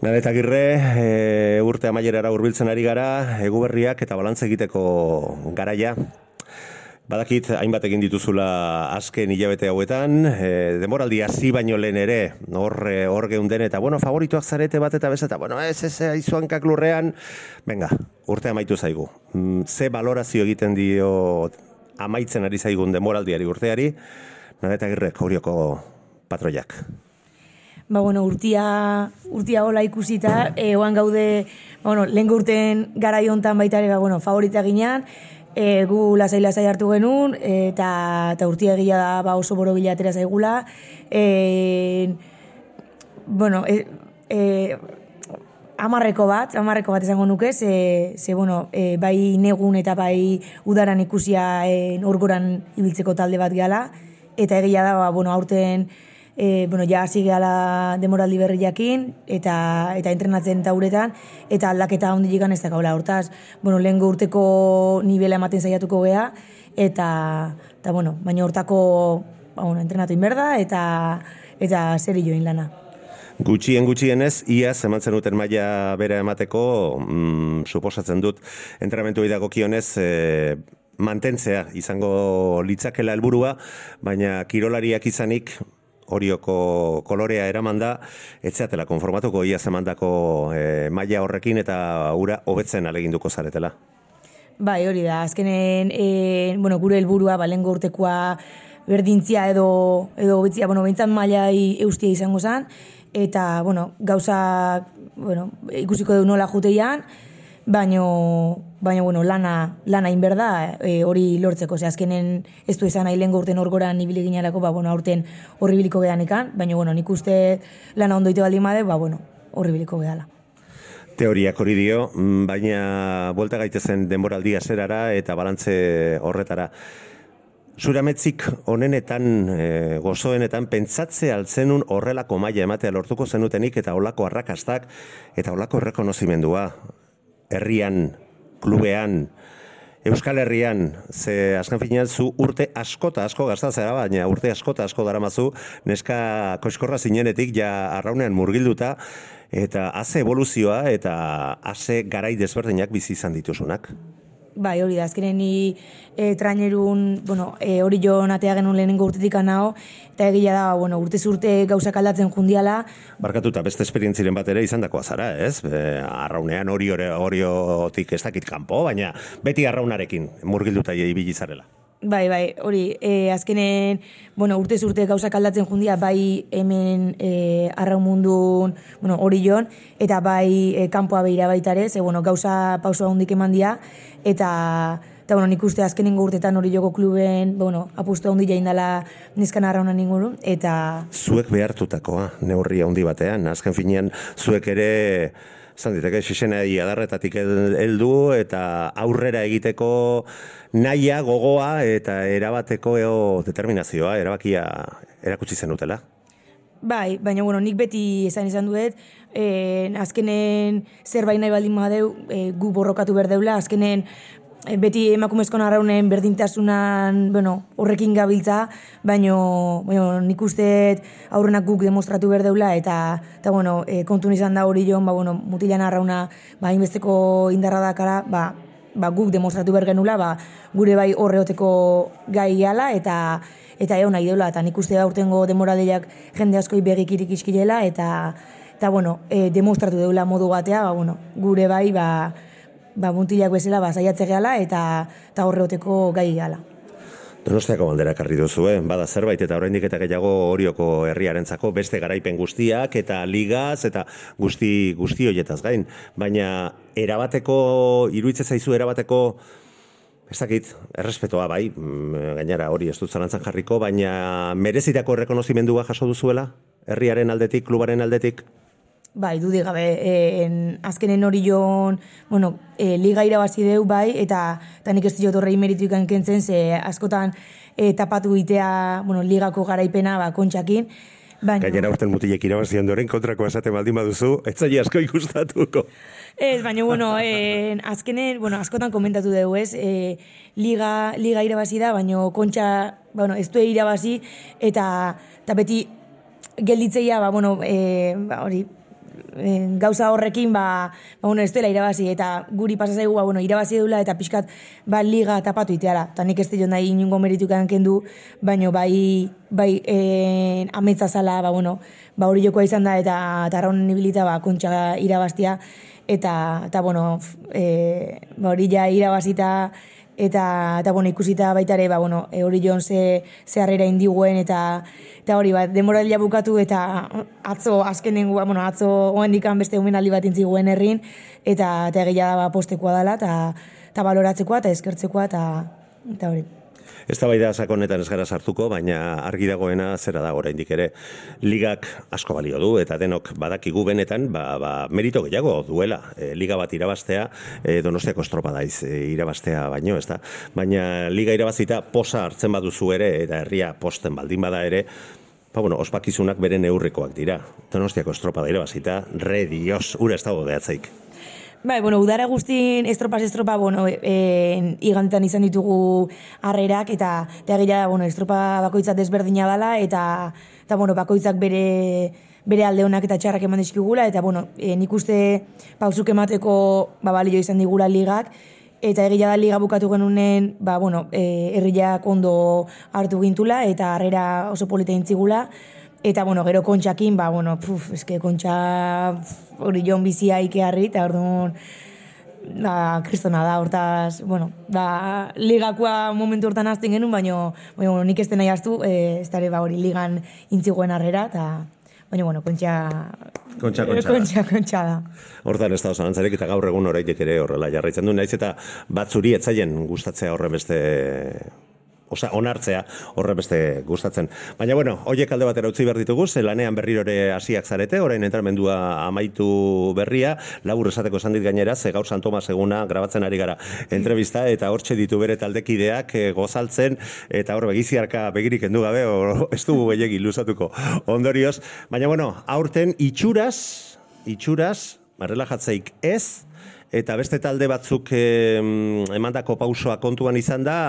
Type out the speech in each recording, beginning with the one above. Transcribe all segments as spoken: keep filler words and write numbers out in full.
Naret Agirre, e, urte amaierara hurbiltzen ari gara, eguberriak eta balantze egiteko garaia. Badakit, hainbat egin dituzula azken hilabete hauetan, e, demoraldi hasi baino lehen ere, hor, hor geunden, eta bueno, favorituak zarete bat eta bez, eta bueno, ez ez aizuankak lurrean, venga, urte amaitu zaigu. Ze balorazio egiten dio amaitzen ari zaigun demoraldiari urteari, Naret Agirre, Orioko patroiak. Ba, bueno, urtia, urtia hola ikusita, e, oan gaude, bueno, lehen urten garai hontan baita ere, ba, bueno, favorita ginean, e, gu lasai-lasai hartu genuen, eta, eta urtia egia da ba, oso boro bilatera zaigula. E, bueno, e, e, amarreko bat, amarreko bat esango nuke, ze, ze bueno, e, bai negun eta bai udaran ikusia e, orgoran ibiltzeko talde bat gehala, eta egia da, ba, bueno, aurten, E, bueno, ja hasi gehala demoraldi berriakin eta eta entrenatzen tauretan eta aldaketa hondilegan ez dakaula. Hortaz, bueno, lehengo urteko nivela ematen saiatuko gea eta eta bueno, baina hortako ba bueno, entrenatu inberda eta eta serioin lana. Gutxien gutxienez, iaz emantzen duten maila bera emateko, mm, suposatzen dut entrenamentuei dagokionez, e, mantentzea izango litzakela helburua, baina kirolariak izanik Orioko kolorea eraman da, etzeatela konformatuko iaz emandako e, maila horrekin eta ura hobetzen aleginduko zaretela. Bai, hori da, azkenen e, bueno, gure helburua balengo urtekoa berdintzia edo edo hobetzia, bueno, behintzat mailai eustia izango zen, eta bueno, gauza, bueno, ikusiko du nola juteian, baino baina bueno, lana lana inberda e, hori lortzeko. Ze azkenen ez du izan nahi lehengo urten orgoran ibili ginelako, ba bueno, aurten horribiliko geanekan, baina bueno, nik uste lana ondoite baldin bade, ba bueno, horribiliko gehala. Teoriak hori dio, baina buelta gaitezen denboraldia zerara eta balantze horretara. Zurametzik onenetan, e, gozoenetan, pentsatze altzenun horrelako maila ematea lortuko zenutenik eta holako arrakastak eta holako errekonozimendua. Herrian, klubean, Euskal Herrian, ze azken finean zu urte askota asko gastatzera, baina urte askota asko daramazu, neska koiskorra zinenetik ja arraunean murgilduta, eta haze evoluzioa eta haze garai desberdinak bizi izan dituzunak. Bai, hori da, azkenen ni e, trainerun, bueno, e, hori jo natea genuen lehenengo urtetik anao, eta egia da, bueno, urtez urte gauzak aldatzen jundiala. Barkatuta beste esperientziren bat ere izan dakoa zara, ez? E, arraunean hori horiotik ez dakit kanpo, baina beti arraunarekin murgilduta ibili zarela. Bai, bai, hori, e, azkenen, bueno, urtez urte gauzak aldatzen jundia, bai hemen e, arraun mundun, bueno, hori jon, eta bai e, kanpoa behira baitare, ze, bueno, gauza pausoa hundik eman dia, eta, eta bueno, nik uste azkenengo urtetan hori joko kluben, bueno, apustu handi jaindala neskan arraunan inguru, eta... Zuek behartutakoa, neurria handi batean, azken finean, zuek ere... Zan diteke, xisenei adarretatik heldu eta aurrera egiteko nahia, gogoa eta erabateko eo determinazioa, erabakia erakutsi zenutela. Bai, baina bueno, nik beti esan izan duet, eh, azkenen zerbait nahi baldin badeu, eh, gu borrokatu berdeula, azkenen eh, beti emakumezkoan arraunen berdintasunan, bueno, horrekin gabiltza, baino, baino nik uste aurrenak guk demostratu berdeula, eta, eta bueno, e, kontun izan da hori joan, ba, bueno, mutilan arrauna, ba, inbesteko indarra dakara, ba, ba, guk demostratu bergenula, ba, gure bai horreoteko gai gala, eta eta egon nahi deula, eta nik uste aurtengo demoraldiak jende askoi begikirik iskirela, eta, eta bueno, e, demostratu deula modu batea, ba, bueno, gure bai, ba, ba, muntilak bezala ba, saiatze gehala eta, eta horreoteko gai gehala. Donostiako bandera karri duzu, eh? Bada zerbait eta oraindik eta gehiago Orioko herriarentzako beste garaipen guztiak eta ligaz eta guzti guzti hoietaz gain, baina erabateko iruditzen zaizu erabateko ez dakit, errespetoa bai, gainera hori ez dut zalantzan jarriko, baina merezitako errekonozimendua jaso duzuela herriaren aldetik, klubaren aldetik? Bai, dudik gabe, en, azkenen hori joan, bueno, e, liga irabazi deu, bai, eta, eta nik ez diot horrei meritu ikan kentzen, ze askotan e, tapatu itea, bueno, ligako garaipena, ba, kontxakin. Baina... Gainera urten mutilek irabazi ondoren kontrako esate baldin baduzu, ez zaila asko ikustatuko. Ez, baina, bueno, en, azkenen, bueno, askotan komentatu dugu, ez, e, liga, liga irabazi da, baina kontxa, bueno, ez du irabazi, eta, eta beti gelditzeia, ba, bueno, e, ba, hori, gauza horrekin, ba, ba bueno, ez dela irabazi, eta guri pasazaigu, ba, bueno, irabazi dula, eta pixkat, ba, liga tapatu iteala. Eta nik ez dut nahi inungo meritukan kendu, baino bai, bai, e, ametsa zala, ba, bueno, ba, hori jokoa izan da, eta tarraunen ibilita, ba, kontxa irabaztia, eta, eta bueno, e, ba, hori ja irabazita, eta, eta bueno, ikusita baita ere, ba, bueno, e, hori joan ze, ze harrera indiguen, eta, eta hori, ba, denboralia bukatu, eta atzo, azkenengo, ba, bueno, atzo oendikan beste omenaldi bat intziguen herrin, eta, eta egia da, ba, postekoa dela, eta, eta baloratzekoa, eta eskertzekoa, eta, eta hori. Ez da bai da sakonetan ez gara sartuko, baina argi dagoena zera da oraindik ere. Ligak asko balio du, eta denok badakigu benetan, ba, ba, merito gehiago duela. E, liga bat irabaztea, e, Donostiako estropadaiz e, irabaztea baino, ez da. Baina liga irabazita posa hartzen baduzu ere, eta herria posten baldin bada ere, ba, bueno, ospakizunak bere neurrikoak dira. Donostiako estropada irabazita, re dios, ura ez dago behatzaik. Bai, bueno, udara guztin estropaz estropa, bueno, e, igantetan izan ditugu harrerak, eta egia da, bueno, estropa bakoitzak desberdina dela, eta, eta bueno, bakoitzak bere, bere alde honak eta txarrak eman dizkigula, eta, bueno, e, nik uste pausuk emateko ba, balio izan digula ligak, eta egia da liga bukatu genunen, ba, bueno, e, herriak ondo hartu gintula, eta harrera oso polita intzigula, eta, bueno, gero kontxakin, ba, bueno, puf, eske kontxa hori joan bizia ikearri, eta orduan, da, kristona da, hortaz, bueno, da, ligakoa momentu hortan azten genuen, baina, bueno, nik ez den nahi aztu, e, ez dara, ba, hori ligan intziguen harrera, eta, baina, bueno, kontxa... Kontxa, kontxa, kontxa, kontxa da. Hortan ez da osanantzarek, eta gaur egun horaitek ere horrela jarraitzen du, naiz eta batzuri etzaien gustatzea horre beste... Osa, onartzea horre beste gustatzen. Baina, bueno, hoiek alde batera utzi behar ditugu, ze lanean berrirore hasiak zarete, orain entramendua amaitu berria, labur esateko esan dit gainera, ze gaur San Tomas eguna grabatzen ari gara entrevista, eta hortxe ditu bere taldekideak e, gozaltzen, eta hor begiziarka begirik endu gabe, o, ez dugu gehiagi luzatuko ondorioz. Baina, bueno, aurten itxuraz, itxuraz, relajatzeik ez, eta beste talde batzuk e, emandako pausoa kontuan izan da,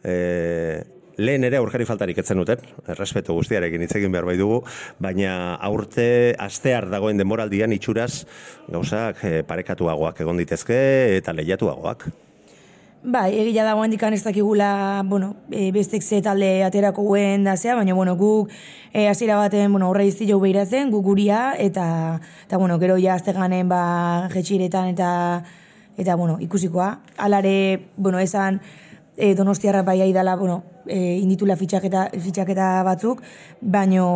E, lehen ere aurkari faltarik etzen duten, errespetu guztiarekin hitz egin behar bai dugu, baina aurte astear dagoen denboraldian itxuraz gauzak e, parekatuagoak egon ditezke eta lehiatuagoak. Bai, egia dagoen dikan ez dakigula, bueno, e, bestek ze talde aterako guen da zea, baina, bueno, guk e, hasiera baten, bueno, horre izti jau behiratzen, guk guria, eta, eta bueno, gero ja azte ganen, ba, jetxiretan, eta, eta, bueno, ikusikoa. Alare, bueno, esan, E, Donostiarra bai aidala, bueno, e, inditula fitxaketa, fitxaketa batzuk, baino,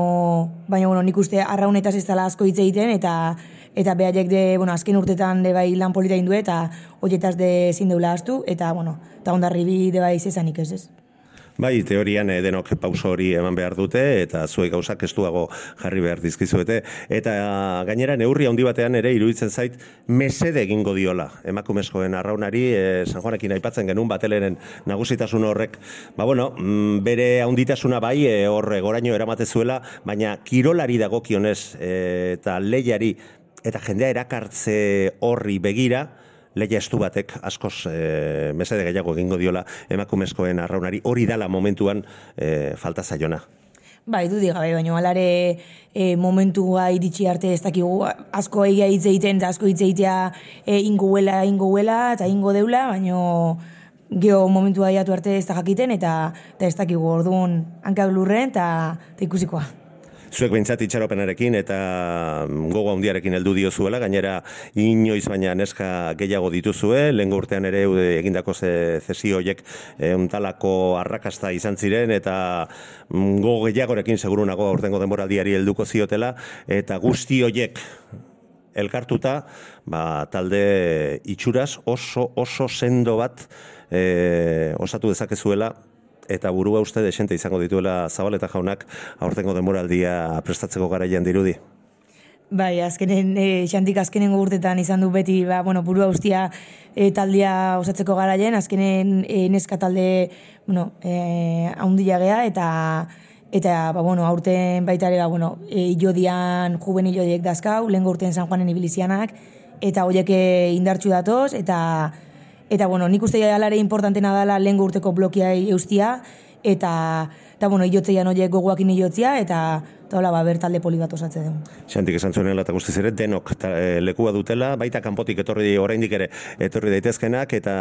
baino, bueno, nik uste arraunetaz ez dela asko hitz egiten, eta eta behaiek de, bueno, azken urtetan de bai lan polita indu, eta horietaz de zindeula astu, eta, bueno, eta ondarribi de bai zezanik ez ez. Bai, teorian eh, denok pauso hori eman behar dute, eta zuek gauzak estuago jarri behar dizkizuete. Eta gainera neurri handi batean ere iruditzen zait mesede egingo diola emakumezkoen arraunari, eh, San Juanekin aipatzen genuen bateleren nagusitasun horrek, ba bueno, bere handitasuna bai, eh, horre goraino eramatezuela, baina kirolari dagokionez eh, eta lehiari eta jendea erakartze horri begira, lehia estu batek askoz e, mesede gehiago egingo diola emakumezkoen arraunari, hori dala momentuan e, falta zaiona. Bai, dudik gabe, baina alare e, momentua iritsi arte ez dakigu asko egia hitz egiten eta asko hitz egitea e, ingoela, ingoela eta ingo deula, baina geho momentua jatu arte ez da jakiten eta, eta ez dakigu orduan hankak lurren eta, eta ikusikoa. Zuek behintzat itxaropenarekin eta gogo handiarekin heldu diozuela, gainera inoiz baina neska gehiago dituzue, lehengo urtean ere egindako ze, zesio horiek untalako arrakasta izan ziren eta gogo gehiagorekin segurunago aurtengo denboraldiari helduko ziotela, eta guzti horiek elkartuta, ba, talde itxuraz oso oso sendo bat e, osatu dezakezuela, eta burua uste desente izango dituela Zabaleta jaunak aurtengo denboraldia prestatzeko garaian dirudi. Bai, azkenen, e, xantik azkenengo urtetan izan du beti, ba, bueno, burua ustia e, taldia osatzeko garaien, azkenen e, neska talde, bueno, e, haundia gea, eta eta, ba, bueno, aurten baita ere, ba, bueno, e, ilodian juvenil horiek dazkau, lehen urten San Juanen ibilizianak, eta horiek indartxu datoz, eta Eta, bueno, nik uste alare importantena dela lehen urteko blokiai eustia, eta, eta bueno, iotzeian horiek gogoakin iotzia, eta, eta hola, ba, bertalde poli bat osatze dugu. Xantik esan zuenela eta guztiz ere, denok ta, e, lekua dutela, baita kanpotik etorri oraindik ere etorri daitezkenak, eta,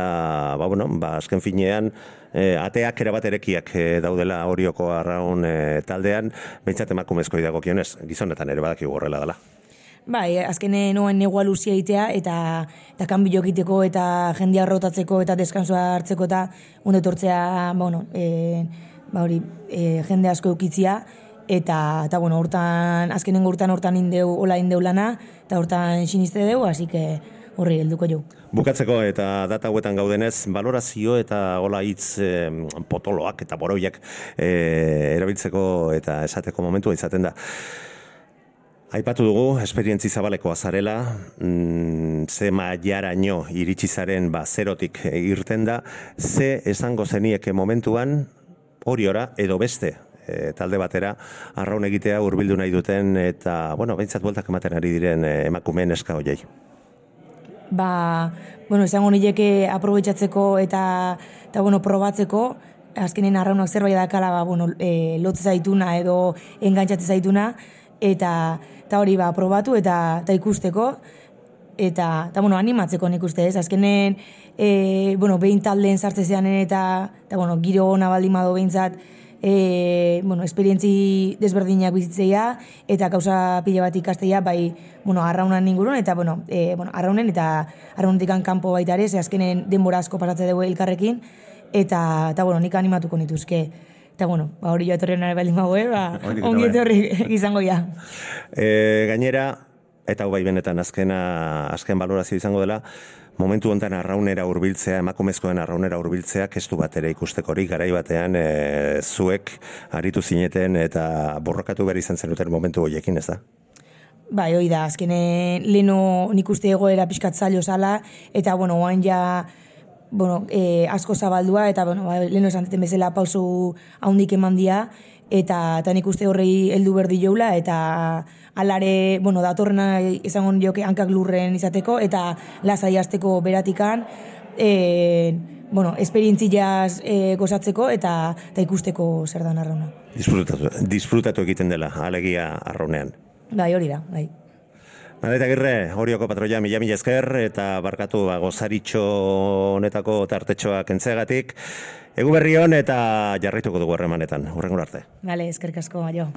ba, bueno, ba, azken finean, e, ateak erabat erekiak e, daudela Orioko Arraun e, taldean, behintzat emakumezkoi dagokionez, gizonetan ere badakigu horrela dela. Bai, azkenen noen negua luzia egitea, eta, eta kanbio egiteko, eta jendia rotatzeko, eta deskansoa hartzeko, eta ondo etortzea, bueno, e, ba hori, e, jende asko eukitzia, eta, eta bueno, hortan, azkenen hortan hortan indeu, hola indeu lana, eta hortan siniste deu, hasi que horri helduko jo. Bukatzeko eta data hauetan gaudenez, balorazio eta hola hitz e, potoloak eta boroiak e, erabiltzeko eta esateko momentua izaten da. Aipatu dugu, esperientzi zabalekoa zarela, mm, ze mailaraino iritsi zaren ba, zerotik irten da, ze esango zenieke momentuan Oriora edo beste e, talde batera arraun egitea hurbildu nahi duten eta, bueno, behintzat bueltak ematen ari diren e, emakumeen eska hoiei. Ba, bueno, esango nileke aprobetxatzeko eta, eta bueno, probatzeko, azkenen arraunak zerbait dakala, ba, bueno, e, lotze zaituna edo engantxatze zaituna, eta, eta hori ba, probatu eta, eta ikusteko, eta, eta bueno, animatzeko nik uste ez, azkenen, e, bueno, behin taldeen sartzezean eta, eta bueno, giro ona baldin bado behintzat, e, bueno, esperientzi desberdinak bizitzeia, eta kausa pila bat ikastea, bai, bueno, arraunan ingurun, eta, bueno, e, bueno arraunen, eta arraunetik kanpo baita ere, ze azkenen denbora asko pasatze dugu elkarrekin, eta, eta bueno, nik animatuko nituzke. Eta, bueno, ba, hori joa etorri nare baldin bagoe, ba, ongi etorri izango ja. E, gainera, eta hau bai benetan azkena, azken balorazio izango dela, momentu honetan arraunera hurbiltzea, emakumezkoen arraunera hurbiltzea, kestu bat ere ikusteko hori, garai batean e, zuek aritu zineten eta borrokatu behar izan zenuten momentu horiekin, ez da? Bai, hori da, azkene leno nik uste egoera pixkat zailo zala, eta, bueno, oan ja, bueno, e, asko zabaldua, eta, bueno, ba, leno esan zeten bezala pausu haundik eman dia, eta, eta nik uste horrei heldu berdi joula, eta alare, bueno, datorrena izango joke hankak lurren izateko, eta lasai hasteko beratikan, e, bueno, esperientziaz e, gozatzeko, eta, eta ikusteko zer dan arrauna. Disfrutatu, disfrutatu egiten dela, alegia arraunean. Bai, hori da, bai. Madaita Agirre, Orioko patroia mila mila esker, eta barkatu ba, gozaritxo honetako tartetxoa kentzeagatik. Egu berri hon eta jarraituko dugu harremanetan. Hurrengo arte. Bale, eskerrik asko, jo.